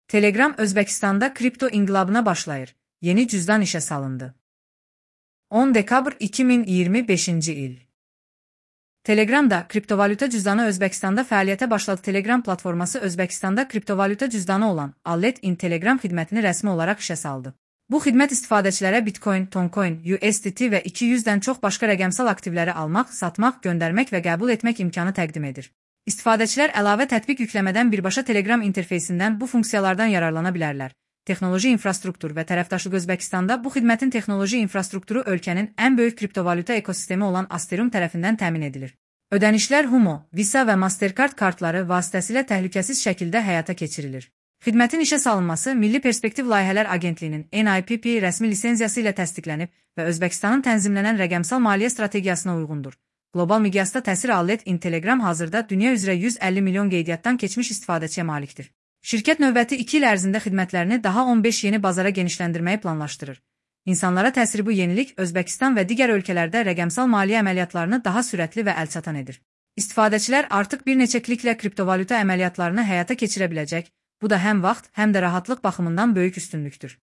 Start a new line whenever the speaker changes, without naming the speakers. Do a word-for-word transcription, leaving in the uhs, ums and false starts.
Telegram Özbəkistanda kripto inqilabına başlayır. Yeni cüzdan işə salındı. on dekabr iki min iyirmi beşinci il. Telegramda kriptovalyuta cüzdanı Özbəkistanda fəaliyyətə başladı. Telegram platforması Özbəkistanda kriptovalyuta cüzdanı olan Allet-in Telegram xidmətini rəsmi olaraq işə saldı. Bu xidmət istifadəçilərə Bitcoin, Toncoin, U S D T və iki yüzdən çox başqa rəqəmsal aktivləri almaq, satmaq, göndərmək və qəbul etmək imkanı təqdim edir. İstifadəçilər əlavə tətbiq yükləmədən birbaşa Telegram interfeysindən bu funksiyalardan yararlana bilərlər. Texnoloji infrastruktur və tərəfdaşlıq Özbəkistanda bu xidmətin texnoloji infrastrukturu ölkənin ən böyük kriptovalyuta ekosistemi olan Asterum tərəfindən təmin edilir. Ödənişlər Humo, Visa və Mastercard kartları vasitəsilə təhlükəsiz şəkildə həyata keçirilir. Xidmətin işə salınması Milli Perspektiv Layihələr Agentliyinin N I P P rəsmi lisenziyası ilə təsdiqlənib və Özbəkistanın tənzimlənən rəqəmsal maliyyə strategiyasına uyğundur. Qlobal miqyasda təsir Allet-in Telegram hazırda dünya üzrə yüz əlli milyon qeydiyyatdan keçmiş istifadəçiyə malikdir. Şirkət növbəti iki il ərzində xidmətlərini daha on beş yeni bazara genişləndirməyi planlaşdırır. İnsanlara təsiri bu yenilik Özbəkistan və digər ölkələrdə rəqəmsal maliyyə əməliyyatlarını daha sürətli və əlçatan edir. İstifadəçilər artıq bir neçə kliklə kriptovalyuta əməliyyatlarını həyata keçirə biləcək. Bu da həm vaxt, həm də rahatlıq baxımından böyük üstünlükdür.